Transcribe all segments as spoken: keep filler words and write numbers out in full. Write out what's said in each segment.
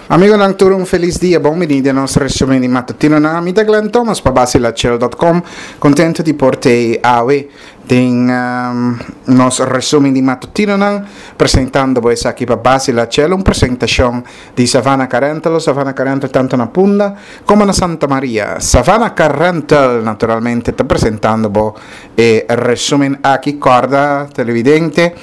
Amigonan tur un felis dia, bon bini den nos resumen di matutinonan. Mi ta Glenn Thomas pa Basilachel dot com, contento di por te awe den um, nos resumen di matutinonan, presentando bo esaki pa Basilachel, un presentacion di Savannah Car Rental, Savannah Car Rental tanto na Punda como na Santa Maria. Savannah Car Rental naturalmente ta presentando bo e resumen aki. Corda, televidente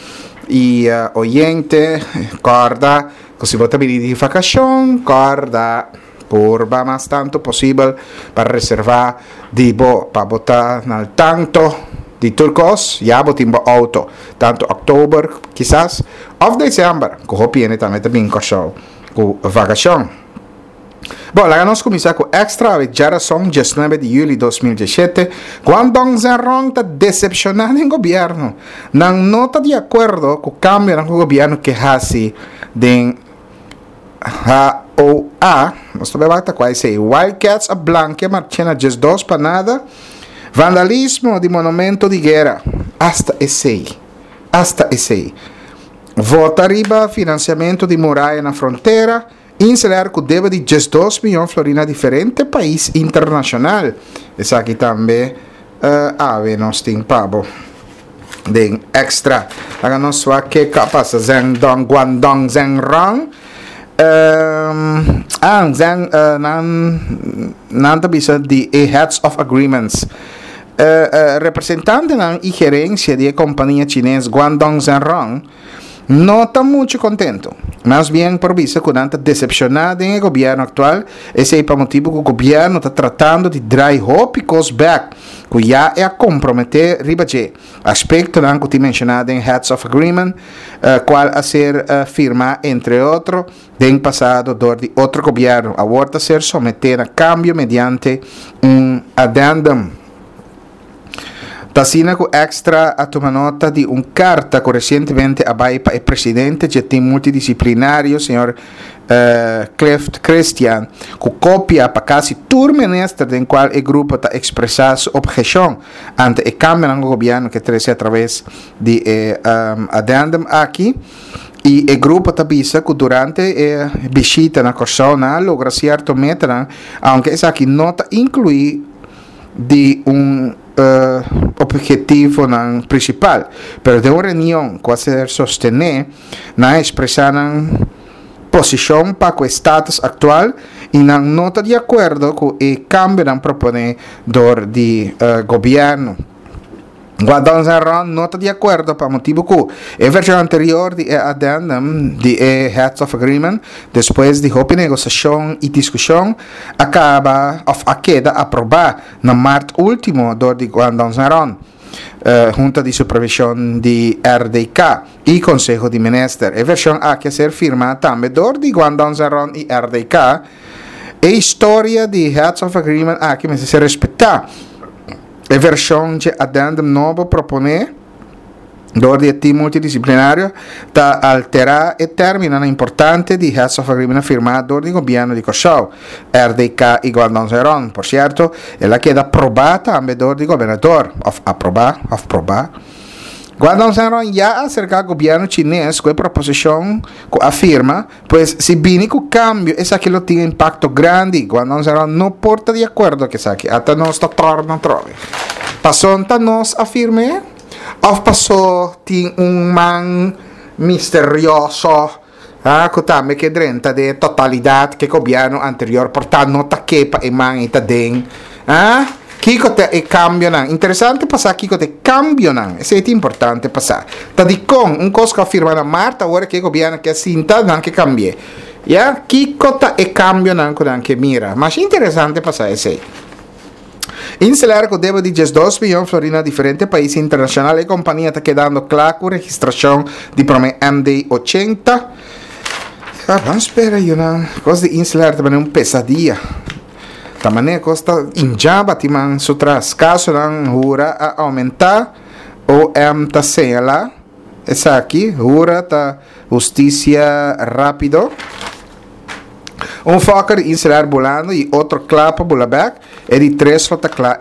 y uh, oyente, corda ku si bo ta bini di vakashon, kòrda purba mas tantu posibel pa reservá di bo, pa bo ta na tanto di tur kos, ya bo tin bo outo, tantu òktober kisas òf desèmber, ku hopi hende tambe ta bin Kòrsou ku vakashon. Bon, laga nos kuminsá ku Extra awe djarason diesnuebe di yüli dos mil diesshete. Guangdong Zhenrong ta desepshoná den gobièrnu. Nan no ta di akuerdo ku kambionan ku gobièrnu ke hasi den H O A. Nos ta bai wak ta kua esei. Wildcats a blankia Marchena diesdos pa nada. Vandalismo di monumento di guera. Asta esei. Asta esei. Vota riba finansiamentu di muraya na frontera. InselAir ku debe di diesdos miyon florin na diferente pais internashonal. Esaki tambe awe nos tin pa bo den Extra. Laga nos wak ke ka pasa Zeng Dong Guangdong Zeng Rong. Ah, Zeng nan nan ta bisa di e heads of agreements. Representantenan i gerensia di e kompania chines Guangdong Zeng Rong no ta muchu kontentu. Mas bien por bisa ku nan ta desepshoná den e gobièrnu aktual, esei pa motibu ku gobièrnu ta tratando di drai hopi kos bèk ku ya e a komprometé riba dje. Aspektonan ku tin menshoná den Heads of Agreement, kual a ser firmá entre otro den pasado dor di otro gobièrnu, awor ta ser someté na kambio mediante un addendum. Ta asina ku Extra a tuma nota di un karta ku resientemente a bai pa e presidente dje tim multidisiplinario, señor Clift Christian, ku kopia pa kasi tur minister den kual e grupo ta ekspresá su opheshon ante e kambionan ku gobièrnu ke trese atraves di e addendum aki. I e grupo ta bisa ku durante e bishita na Kòrsou nan a logra sierto metanan, aunke esaki no ta inkluí di un ophetivonan prinsipal. Pero den un reunion ku a ser sostené, nan a ekspresá nan posishon pa ku e status aktual i nan no ta di akuerdo ku e kambionan proponé dor di gobièrnu. Guadon Zerron no ta di akuerdo pa motibu ku e vershon anterior di e addendum di e Heads of Agreement, despues di hopi negosiashon i diskushon, a kaba òf a keda aprobá na mart último dor di Guandon Zerron, Hunta di Supervishon di R D K i Konseho di Minister. E vershon aki a ser firmá tambe dor di Guandon Zerron i R D K. E historia di Heads of Agreement aki mester ser respetá. E vershon dje addendum nobo proponé dor di e tim multidisiplinario ta alterá e términonan importante di Heads of Agreement firmá dor di Gobièrnu di Kòrsou, R D K i Guandong Zhenrong. Por sierto, el a keda probá tambe dor di gobernador, òf aprobá òf probá. Guandong Zhenrong ya a aserká gobièrnu chines ku e proposishon ku a firma, pues si bini ku kambio esaki lo tin impakto grandi. Guandong Zhenrong no por ta di akuerdo ku esaki. Ata nos ta torna atrobe. Pasobra ta nos a firm'é òf paso tin un man misterioso ku tambe ke drenta den e totalidat ku e gobièrnu anterior por ta no ta ke pa e man ei ta den? Kiko ta e kambionan? Interesante pa sa kiko ta e kambionan. Esei ta importante pa sa. Ta dikon un kos ku a firma na mart awor ke gobièrnu ke a sinta nan ke kambi'é? Ya, kiko ta e kambionan ku nan ke mira? Masha interesante pa sa esei. InselAir ku debe di diesdos miyon florin na diferente pais internashonal. E kompania ta kedando kla ku registrashon di promé M D ochenta. Ban spera yunan. Kos di InselAir ta bini un pesadia. Ta manera kos ta inja bati man su tras. Kasonan hura a oumentá, O M ta señalá esaki. Hura ta hustisia rápido. Un Fokker di InselAir bulando i otro kla pa bula bèk. E di tres lo ta kla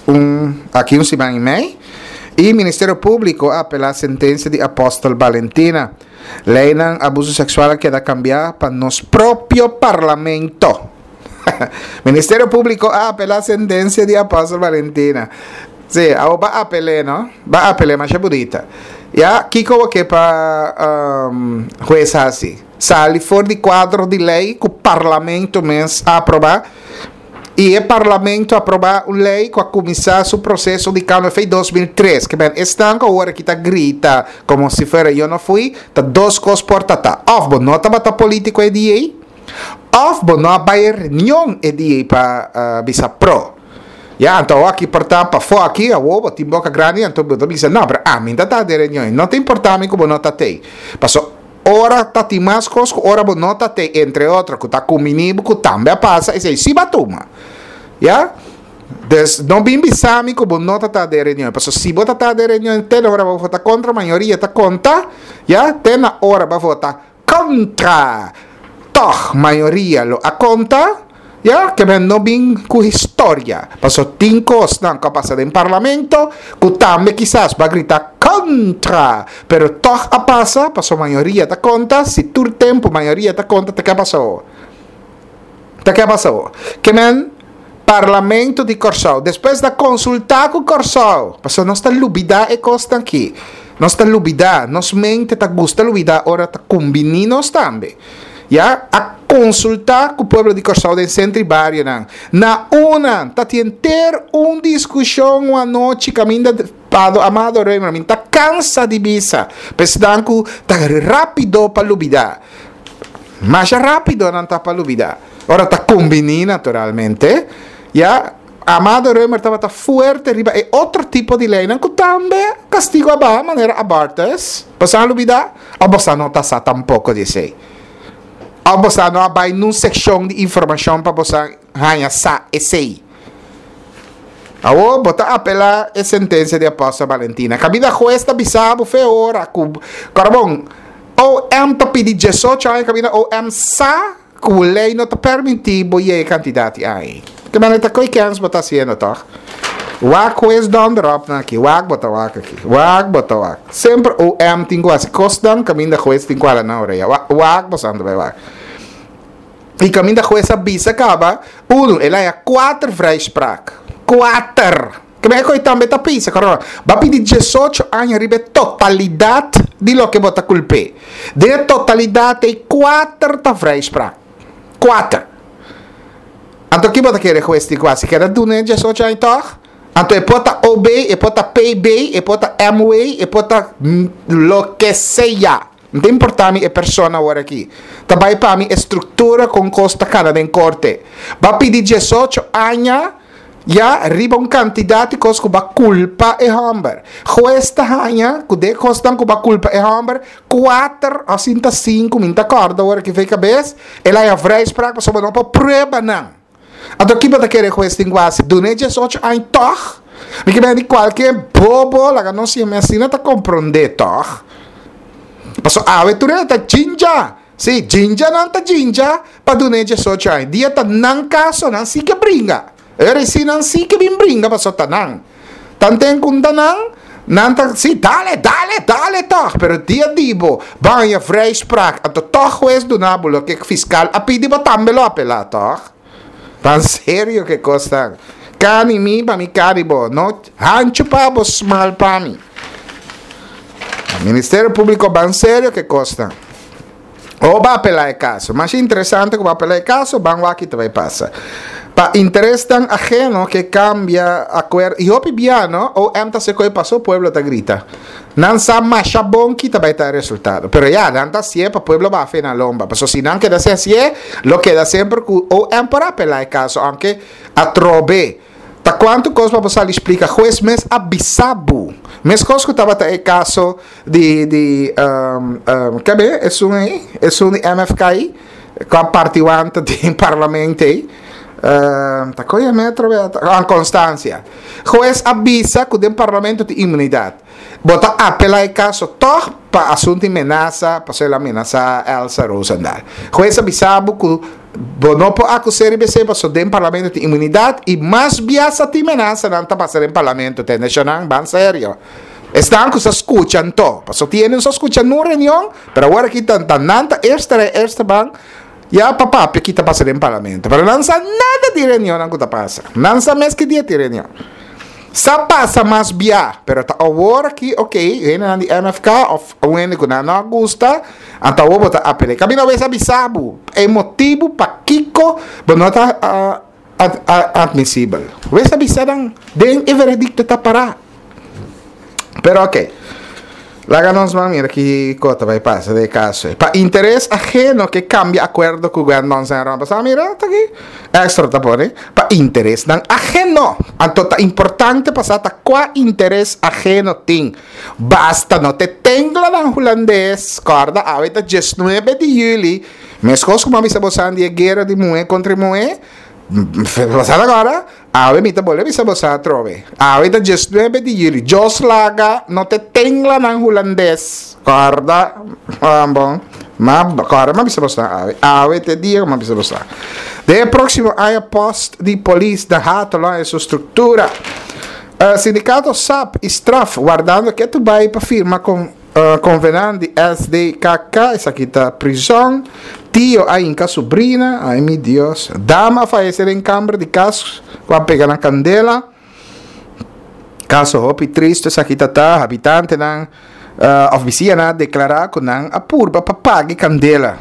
un aki un siman i mei. I Ministerio Públiko a apelá sentensia di Apòstel Balentina. Leinan abuso seksual a keda kambiá pa nos propio. Propio Parlamento. Ministerio Públiko a apelá sentensia di Apòstel Valentina. Sí, awor b'a apel'é, no? B'a apel'é, masha bunita. Ya, kiko bo ke pa um, hues hasi? Sali for di kuadro di lei ku parlamento mes a aprobá. I e parlamento a aprobá un lei ku a kuminsá su proseso di kambio for di dos mil tres. Ke men esnan ku awor aki ta grita komo si fuera yo no fui, ta dos kos por ta ta. Òf bo no tabata polítiko e dia ei, òf bo no a bai e reunion e dia ei pa uh, bisa pro. Ya, anto awor aki por ta pafó aki, awor bo tin boka grandi, anto bo ta bisa, no, pero ami ta ta den reunion, no ta importá mi ku bo no ta tei. Paso, ora ta tin mas kos ku ora bo no ta tei, entre otro, ku ta kumini bo ku tambe a pasa, esei si bo a tuma. Ya? Dus, no bin bisa mi ku bo no ta ta den reunion, paso si bo ta ta den reunion, te na ora bo vota kontra, mayoria ta konta, ya, te na ora bo vota kontra, tòg mayoria lo a konta. Ya, ke men no bin ku historia, paso tin kosnan ku a pasa den parlamento ku tambe kisas bo a grita kontra, pero tòg a pasa, paso mayoria ta konta, si tur tempu mayoria ta konta, ta ke a pasa awor? Ta ke a pasa awor? Ke men Parlamento di Kòrsou, despues di a konsultá ku Kòrsou, paso nos ta lubidá e kosnan aki, nos ta lubidá, nos mente ta gusta lubidá ora ta kumbiní nos tambe. Ya a konsultá ku pueblo di Kòrsou den sentro i barionan. Na una ta tin henter un diskushon un anochi kaminda Pado Amado Römer mi ta kansa di bisa pa esnan ku ta rápido pa lubidá. Masha rápido nan ta pa lubidá. Ora ta kumbiní naturalmente. Ya Amado Römer tabata fuerte riba e otro tipo di leinan ku tambe kastigu a baha manera abortus. Boso a lubidá? Òf boso no ta sa tampoko di esei? Of bosa no a bai nun sekshon di informashon pa bosa haña sa esei? Awor bo ta apelá e sentensia di Apòstel Valentina. Kaminda hues ta bisa bo fe ora ku kòrda bon, O M ta pidi diesocho aña kaminda O M sa ku lei no ta permití bo yega e kantidat di aña. Ke manera ta koi kèns bo ta hasiendo tòg? Wak hues dònder op nan aki, wak bo ta wak aki, wak bo ta wak. Semper O M tin ku hasi kosnan kaminda hues tin ku hala nan orea. Wak bo santo bai wak. I kaminda hues a bisa kaba, unu, el a haña kuater vrijspraak. Kuater! Ke men e koi tambe ta pisa, kòrda. Bo a pidi diesocho aña riba e totalidat di loke bo ta kulp'é. Den e totalidat ei kuater ta vrijspraak. Kuater. Anto ki bo ta kere hues tin ku hasi? Keda duna e diesocho aña tòg? Anto e por ta O B, e por ta P B, e por ta M W, e por ta loke sea. No ta importá mi e persona awor aki. Ta bai pa mi e struktura kon kos ta kana den korte. Bo a pidi diesocho aña ya riba un kantidat di kos ku bo a kulpa e hòmber. Hues ta haña ku den e kosnan ku bo a kulpa e hòmber, kuater òf sinta sinku, mi no ta kòrda awor aki for kabes, el a haña vrijspraak pasobra bo no por prueba nan. Anto ki bo ta kere hues tin ku hasi? Dun'é diesocho aña tòg? Mi ke bini kualke bobo laga nos siña mi asina ta komprondé tòg. Paso awe tur hende ta djinja. Sí, djinja nan ta djinja pa dun'é diesocho aña. Dia ta nan kaso nan si ke bringa. E ora si nan si ke bin bringa paso ta nan. Tanten ku ta nan, nan ta sí dale, dale, dale tòg. Pero dia di bo bo haña vrijspraak anto tòg hues duna bo loke fiskal a pidi bo tambe lo apelá tòg. Tan serio ke kosnan. Kani mi pa mi kani bo. No hanchu pa bo smal pa mi. Ministerio Públiko ban serio ke kosnan. O bo a apelá e kaso. Mas interesante ku bo a apelá e kaso, ban wak ki ta bai pasa. Pa interesnan aheno ke kambia akuerdo. I hopi bia no, O M ta hasi koi paso pueblo ta grita. Nan sa masha bon ki ta bai ta e resultado. Pero ya, nan ta hasié pa pueblo bafe na lomba. Paso si nan keda sin hasié, lo keda semper ku O M por apelá e kaso, aunke atrobe. Ta kuantu kos pa bo sali splika, hues mes a bisa bo. Meskos ku tabata e kaso di di um, um, kebe esun ei, esun di M F K, ku a parti wanta den parlamento ei. Uh, ta koe metro ah, Constancia. Hues a bisa ku den parlamento tin inmunidat. Bo ta apelá e kaso tòg pa asuntu di menasa, pasobra el a menasá Elsa Rozendal. Hues a bisa bo ku bo no por akus'é riba esei paso den parlamento tin inmunidat i mas bia sa tin menasa nan ta pasa den parlamento tende nan ban serio. Esnan ku sa skucha anto, paso tiene sa skucha nun reunion, pero awor aki tan tan nan ta eerste rij, eerste bank. Ya pa papia kiko ta pasa den parlamento. Pero nan sa nada di reunion ku ta pasa. Nan sa mes ki dia tin reunion. Sa pasa mas bia, pero ta awor aki, ok, hende di M F K of un hende ku nan no gusta, anto awor bo ta apelá. Kaminda wes a bisa bo, e motibu pakiko, bo no ta uh, ad, ad, admisibel. Wes a bisa dan, den e veredikto ta pará. Pero ok. Laga nos ban mira kiko ta bai pasa den e kaso. Pa interes aheno ke kambia akuerdo ku gobièrnu san pasa mira ta aki. Extra ta pone. Pa interes nan aheno. Anto ta importante pasa ta kua interes aheno tin. Basta no ta tenglanan hulandes. Korda awe ta diesnuebe di yüli. Meskos ku m'a bisa boso di guera di muhé kontra muhé. Pasada awor, awe mi ta bolbe bisa boso atrobe. Awe ta diesnuebe di yüli. Dios laga no ta tenglanan hulandes. Korda, ah, bon. Ma korda m'a bisa boso awe. Awe ta dia m'a bisa boso. Den próksimo aña post di polis da Hato la su struktura. Uh, sindikato S A P i Straf wardando ku bai pa firma ku uh, konvenant di S D K K, esaki ta prison. Tio a hinka sobrina, ai mi Dios. Dama a fayesé den kamber di kas, ku a pega na kandela. Kaso hopi tristu, esaki ta ta, habitantenan, uh, ofisina a deklará ku nan a purba pa paga kandela.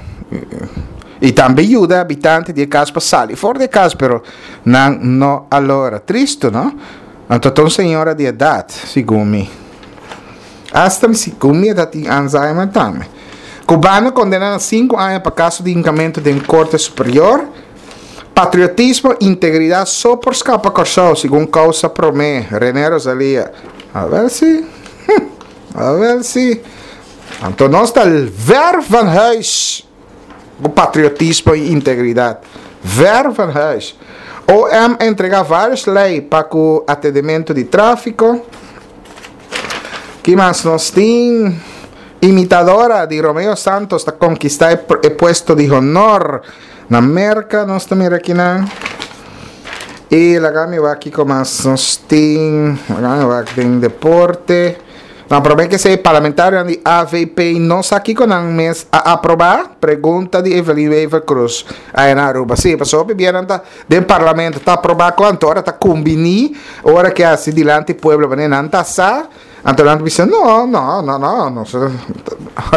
I tambe yuda habitante di kas pa sali for di kas, pero nan no a logra. Tristu, no? Anto, un señora di edat, segun mi. Hasta segun mi edat tin Alzheimer tambe. Cubano kondená na sinku aña pa kaso di hinkamentu den Korte Superior. Patriotismo, integridat, so por skapa Kòrsou, segun Kousa Promé, René Rosalia. A ber si. A ber si. Anto nos ta ver van huis. O patriotismo i integridat. Ver van huis. O M entregá vários lei pa ku atendimentu di tráfiko. Ki mas nos tin? Imitadora di Romeo Santos ta konkistá e puesto di honor na Merka, nos tambe aki na. I laga mi wak kiko mas nos tin, laga mi wak den deporte. No, promé ku e parlamentario di A V P no sa kiko nan mes a aprobá, pregunta di Evelyn Wever Croes ei na Aruba. Si, pasó bibiendo ta den parlamento ta aprobá kuantu ora ta kumbiní, ora ku asina dilanti pueblo, ma nan ta sa. Anto nan bisa, no, no, no, no, no.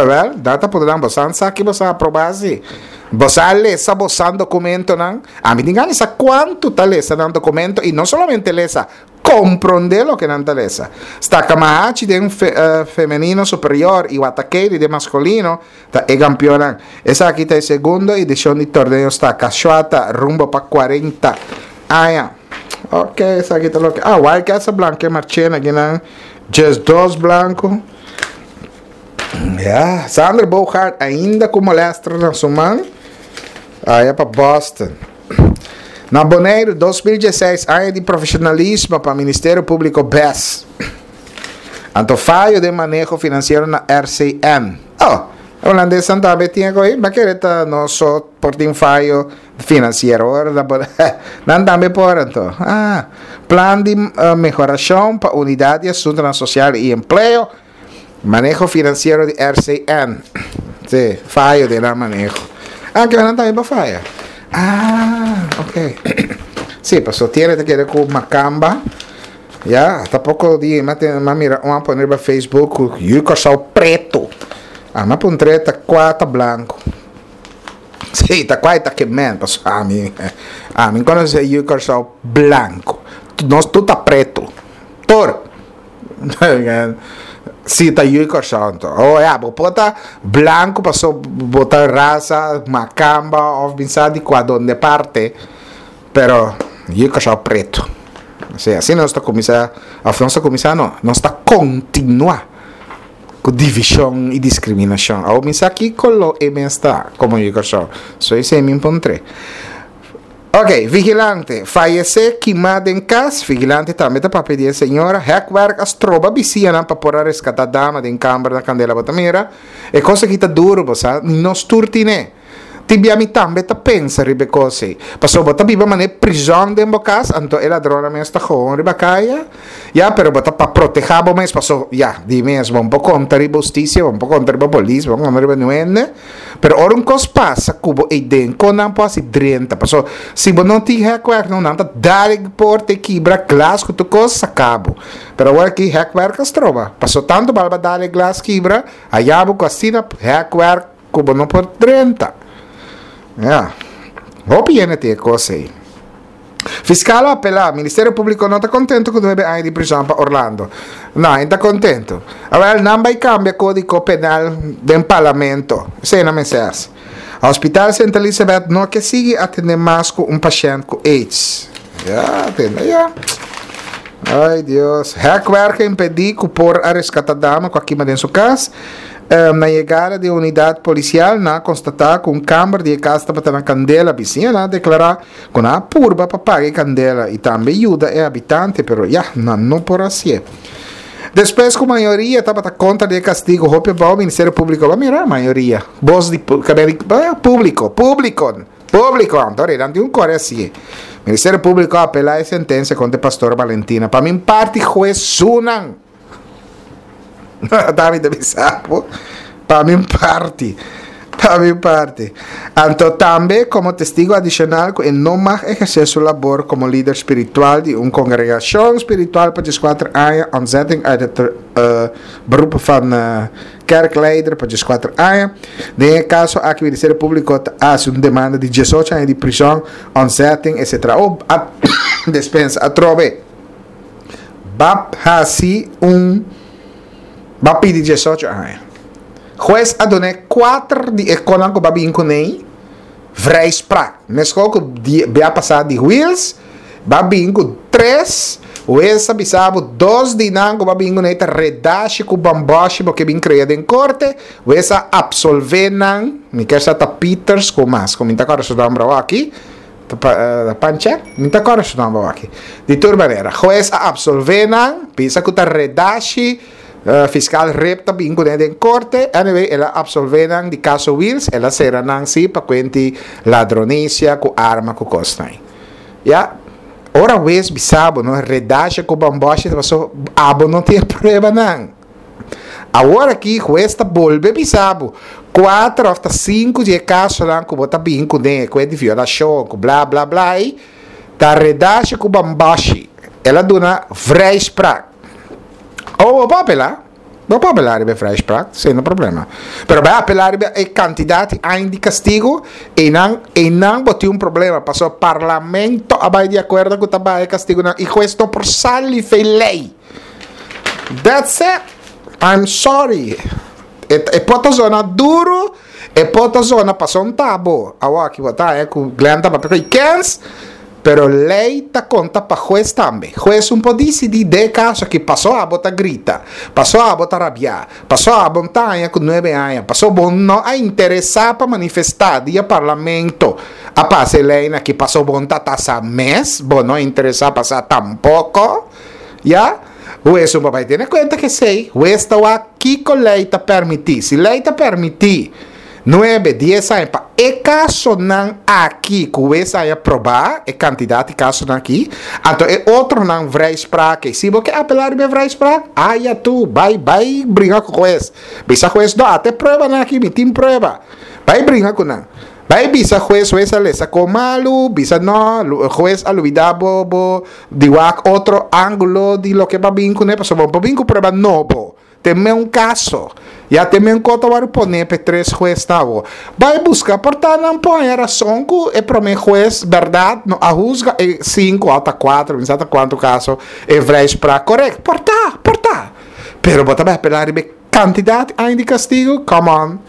Wel, data poderán bosan sa que bosan aprobar si. Bosan lesa bosan documento nan. A mi dinga sa quanto ta lesa nan documento e non solamente lesa, comprende lo que nan ta lesa. Stakamahach den fe, uh, femenino superior i Watakeli den maskulino ta e kampionnan. Esaki ta e segundo edishon di torneo Staka rumbo pa kuarenta aña. Ok, esaki ta loke. Ah, Wildcats blanke Marchena aki nan. Just dos blanku. Ja, Xander Bogaerts ainda ku molèster na su man. Ei pa Boston. Na Boneiru, dos mil diesseis, aña di profeshonalismo pa Ministerio Públiko B E S. Anto fayo di maneho finansiero na R C N. Oh, hulandes tambe tin ku mas ku ta no so por tin fayo finansiero. Nan tambe por anto. Ah, plan di uh, mehorashon pa Unidat di Asuntu Sosial i Empleo. Maneho finansiero di R C N. Si, fayo di maneho. Ah, ku nan tambe pa faya. Ah, ok. Si, pasó tin ku ker ku makamba. Ya, tampoko di, m'a mira, un a pone na Facebook, yu Kòrsou pretu. Ah, m'a puntr'é ta kua ta blanku. Si, ta kua ta ke men, pasó ami, ami konosé yu Kòrsou blanku. Nos tur ta pretu. Tur. Si ta yu Kòrsou anto. Oh, ya, bo por ta blanku, pasó bo ta rasa, makamba, òf bin sa di kua donde parte, pero yu Kòrsou pretu. Asina, asina nos ta kuminsá, òf nos ta kuminsá no, nos ta kontinuá ku divishon i diskriminashon. Awo mi sa ki koló e mes ta, komo yu Kòrsou. So esei mi puntr'é. Ok, vigilante. Fayesé kimá den kas. Vigilante tambe ta papia di señora. Hekwerk a stroba bisiñanan pa por reskatá dama den kamber na kandela. Bo ta mira. E kos aki ta duru, bo sa. Nos tur tin'é. Tin bia mi tambe ta pensa riba e kos ei. Pasobra bo ta biba manera prizòn den bo kas, anto e ladronnan mes ta gewoon riba kaya. Ya, pero bo ta pa protehá bo mes, paso, ya, di mes, bo no por konta riba hustisia, bo no por konta riba polis, bo no por konta riba niun hende. Pero ora un kos pasa ku bo ei den, kon nan por hasi drenta? Paso, si bo no tin hèkwerk, no, nan ta dal e porta i kibra glas ku tur kos, saka bo. Pero awor aki hèkwerk a stroba. Paso tantu bal bo a dal e glas kibra, haya bo ku asina hèkwerk ku bo no por drenta. Ya. Hopi hende tin e kos ei. Fiskal a apelá, Ministerio Públiko no ta kontentu ku nuebe aña di prizòn pa Orlando. No, e ta kontentu. Awèl, nan bai kambia kódiko penal den parlamento. Esei nan mester hasi. Hospital Sint Elisabeth no ke sigui atendé mas ku un pashènt ku aids. Ya, atende ya. Ay Dios. Hekwerk a impedí ku por a reskatá dama ku a kima den su kas. Na yegada di e unidat polisial nan a konstatá ku un kamber di e kas tabata na kandela. Bisiñanan a deklará ku nan a purba pa paga e kandela i tambe yuda e habitante, pero ya, nan no por hasié. Despues ku mayoria tabata kontra di e kastigu hopi abou, Ministerio Públiko a mira mayoria bos di públiko, públiko, públiko, anto nan tin un kore hasié. Ministerio Públiko a apelá e sentensia kontra e pastor Valentina. Pa min parti hues sunan. David ta bisa bo, pa mi parti, pa mi parti. Anto tambe komo testigo adishonal ku e no mag ehersé su labor komo lider spiritual di un kongregashon spiritual pa dieskuater aña, ontzetting uit het beroep van kerkleider pa dieskuater aña. Den e kaso aki Ministerio Públiko ta hasi un demanda di diesocho aña di prison, ontzetting, etcetera. Oh, a despensa atrobe. B'a hasi un B'a pidi diesocho aña. Hues a dun'é kuater di e konan ku b'a bin kuné vrijspraak. Meskos ku di bia pasá di Wiels, b'a bin ku tres, hues a bisa bo dos di nan ku b'a bin kuné ta redashi ku bambòshi bo ke bin krea den korte, hues a apsolvé nan, mi ker sa ta Pieters ku mas, ku mi ta kòrda su nòmber awor aki. Panchek? Mi ta kòrda su nòmber aki. Di tur manera, hues a apsolvé nan, bisa ku ta redashi, fiskal Rip ta bin kuné den korte. Anyway, el a apsolvé nan di kaso Wiels, el a sera nan sí pa kuenti ladronisia ku arma ku kosnan. Ya, ora hues bisa bo no redashi ku bambòshi ta paso abo no tin e pruebanan. Awor aki hues ta bolbe bisa bo, kuater òf ta sinku di e kasonan ku bo ta bin kuné, ku e di violashon, ku bla bla bla ei, ta redashi ku bambashi. El a duna vrijspraak. Oh, bo por apelá. Bo por apelá riba e vrijspraak, sin no problema. Pero bai apelá riba e kantidat di aña di kastigu, einan, einan bo tin un problema, pasobra parlamento a bai di akuerdo ku ta baha e kastigunan i hues no por sali fei lei. That's it. I'm sorry. E, e por ta zona duru, e por ta zona paso un tabo. Awor aki bo ta eh, ku Glenn ta papia ku kens, pero lei ta konta pa hues tambe. Hues un por disidí den e kaso aki paso abo ta grita, paso abo ta rabiá, paso abo ta haña ku nuebe aña, paso bo no a interesá pa manifestá dia parlamento a pasa e leinan aki, paso bo ta tasa mes, bo no a interesá pa sa tampoko. Ya? Hues un por bai tene kuenta ku esei. Hues ta wak kiko lei ta permití. Si lei ta permití nuebe, dies aña pa e kasonan aki ku hues a haña probá, e kantidat di kasonan aki, anto e otronan vrijspraak ei. Si bo ke apelá riba e vrijspraak, aya tu, bai, bai bringa ku hues. Bisa hues, no, ata e pruebanan aki, mi tin prueba. Bai bringa ku nan. Bai bisa hues, hues a lesa ko malu, bisa no, hues a lubida bo bo di wak otro angulo di loke bo a bin kuné, pasobra bo por bin ku prueba nobo, te meun kaso, ya te meun kos ta wòrdu poné pa e tres huesnan awo. Bai buska, por ta nan por haña rason ku e promé hues bèrdat no a husga e sinku òf ta kuater, mi sa ta kuantu kaso e vrijspraak korèkt, por ta, por ta, pero bo ta bai apelá riba e kantidat aña di kastigu, come on.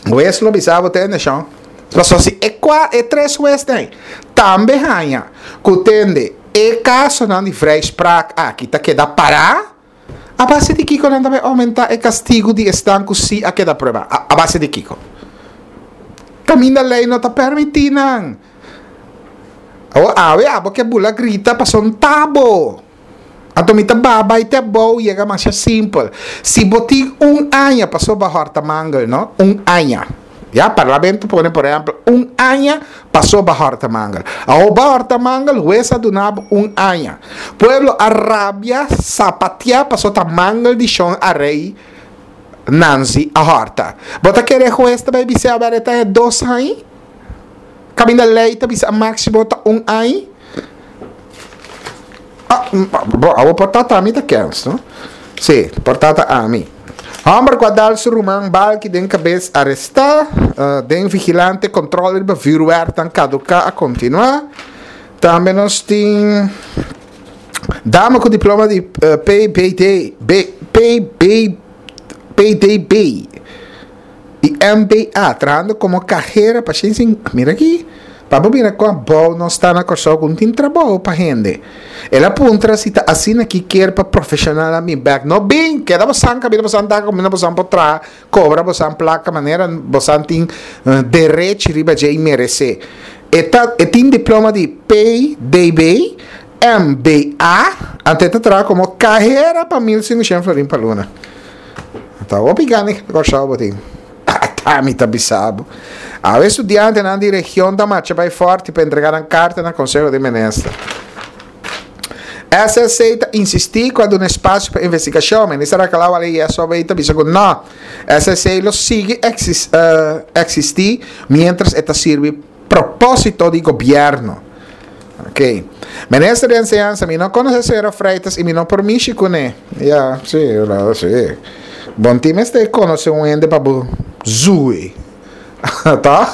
Hues lo bisa bo tende shon. Pasobra si e kua e tres huesnan tambe haña ku tende e kasonan di vrijspraak aki ta keda pará, a base di kiko nan ta bai oumentá e kastigu di esnan ku sí a keda pruebá? A base di kiko? Kaminda lei no ta permití nan. Awor awe abo ke bula grita pasobra un tabo. Anto mi ta baha bai te abou yega masha simpel. Si bo tin un aña pasobra bo a hòrta mangel no, un aña. Ya, parlamento pone, por ehèmpel, un aña pasó b'a hòrta mangel. Awor b'a hòrta mangel, hues a duna un aña. Pueblo a rabia, sapatia, pasó ta mangel di Shon Arey Nanzi a hòrta. Bo ta kere hues ta bai bisa awor ta dos aña? Kaminda lei ta bisa máksimo ta un aña? Ah, bo, awor por ta ami ta kens, no? Si, por ta ami. Hòmber ku a dal su ruman balki den kabes arestá, uh, den Vigilante kontrol riba vuurwerk kaduká a kontinuá. Tambe nos tin dama ku diploma di uh, P B D, B, P B, P D B i M B A, trahando komo kahera pa. Mira aki, pa mira kon bon nos ta na Kòrsou, ku tin trabou pa hende. El a puntra si ta asina ku ke pa profeshonal bin bèk. No bin, keda bo kaminda bo ta kaminda bo por traha, kobra bo plaka manera bo tin uh, derecho riba dje meresé. E ta, e tin diploma di P D B, M B A, anto ta traha komo kahera pa mil sinkushen florin pa luna. Ta hopi gana Kòrsou bo tin. Ta mi ta bisa bo. E studiantenan di region ta marcha bai Fòrti pa entregá un karta na Konseho di Minister. S S C ta insistí ku un espasio pa investigashon. Minister a kla i S O B ta bisa ku no. S S C lo sigui exis, uh, eksistí mientras e ta sirbi propósito di gobièrnu. Ok. Minister di Enseñansa, mi no konosé señora Freitas i mi no por mishi kuné. Ja, si, si. Bon, tin mester konosé un hende pa zui. Ta?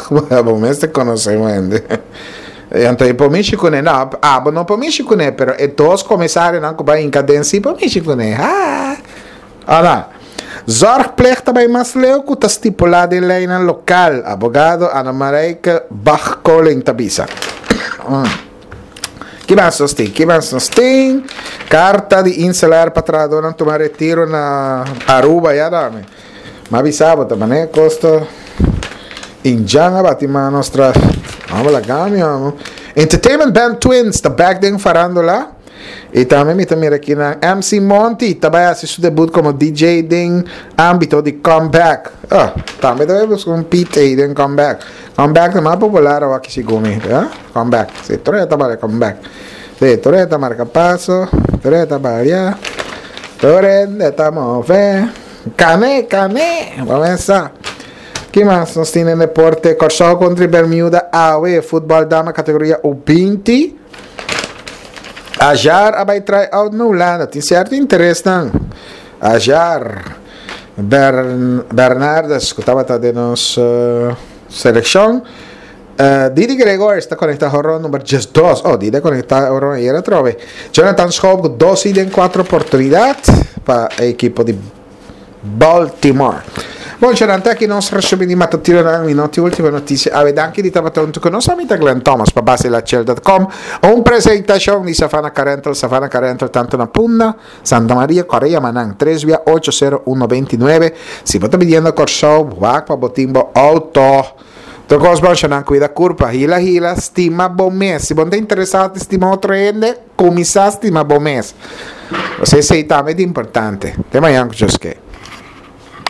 Bon, mester konosé un hende. Anto, por mishi kuné, no, ah, no por mishi kuné, pero e dos komisarionan ku bai hinka den si por mishi kuné. Ah. Ora, zorgplicht tambe mas leu ku ta stipulá den lei lokal. Abogado Ana Marijke Bach-Koling ta bisa. Mm. Ki mas nos tin? Ki mas nos tin? Karta di InselAir pa trahadónan tuma retiro na Aruba, ya dame. M'a bisa bo, tambe kosta indjan a bati man tras. Vamos lá, gami, vamos. Entertainment Band Twins, ta back den farándula. I tambe mi tambe aki na M C Monty, tambe a hasi su debut komo D J den ámbito di comeback. Ah, tambe ta buska un P T den comeback. Comeback ta mas popular aki segun mi, eh? Comeback. Si, tur ta para comeback. Si, tur ta marka paso, tur ta balia. Tur ta move. Kane, kane. Ban kuminsá. Ki mas nos tin den deporte? Kòrsou kontra Bermuda, A W, futbòl dama kategoria U binti. Ajar a bai try out na Hulanda. Tin sierto interes nan. Ajar Bern, Bernardes, ku tabata den nos uh, selekshon. Uh, Didi Gregorius ta konektá honron number diesdos. Oh, Didi konektá honron ayera trobe. Jonathan Schoop ku dos den kuater oportunidat pa e ekipo di Baltimore. Bon, Gerante, aki nos resumí di matutino na minuto último notisia. Awe danki di tabata huntu ku nos. Ami ta Glenn Thomas pa basilachel punto com. Un presentashon di Savannah Car Rental, Savannah Car Rental tantu na Punda, Santa Maria, Korea Manang, tres via ocho sero un nove nuebe. Si bo ta pidiendo Kòrsou, wak pa bo tin bo outo. Tur kos bon, nan kuida kurpa, hila hila, stima bo mes. Si bo ta interesá den stima otro hende, kuminsá stima bo mes. Esei tambe ta importante. Te mañan ku Dios ke.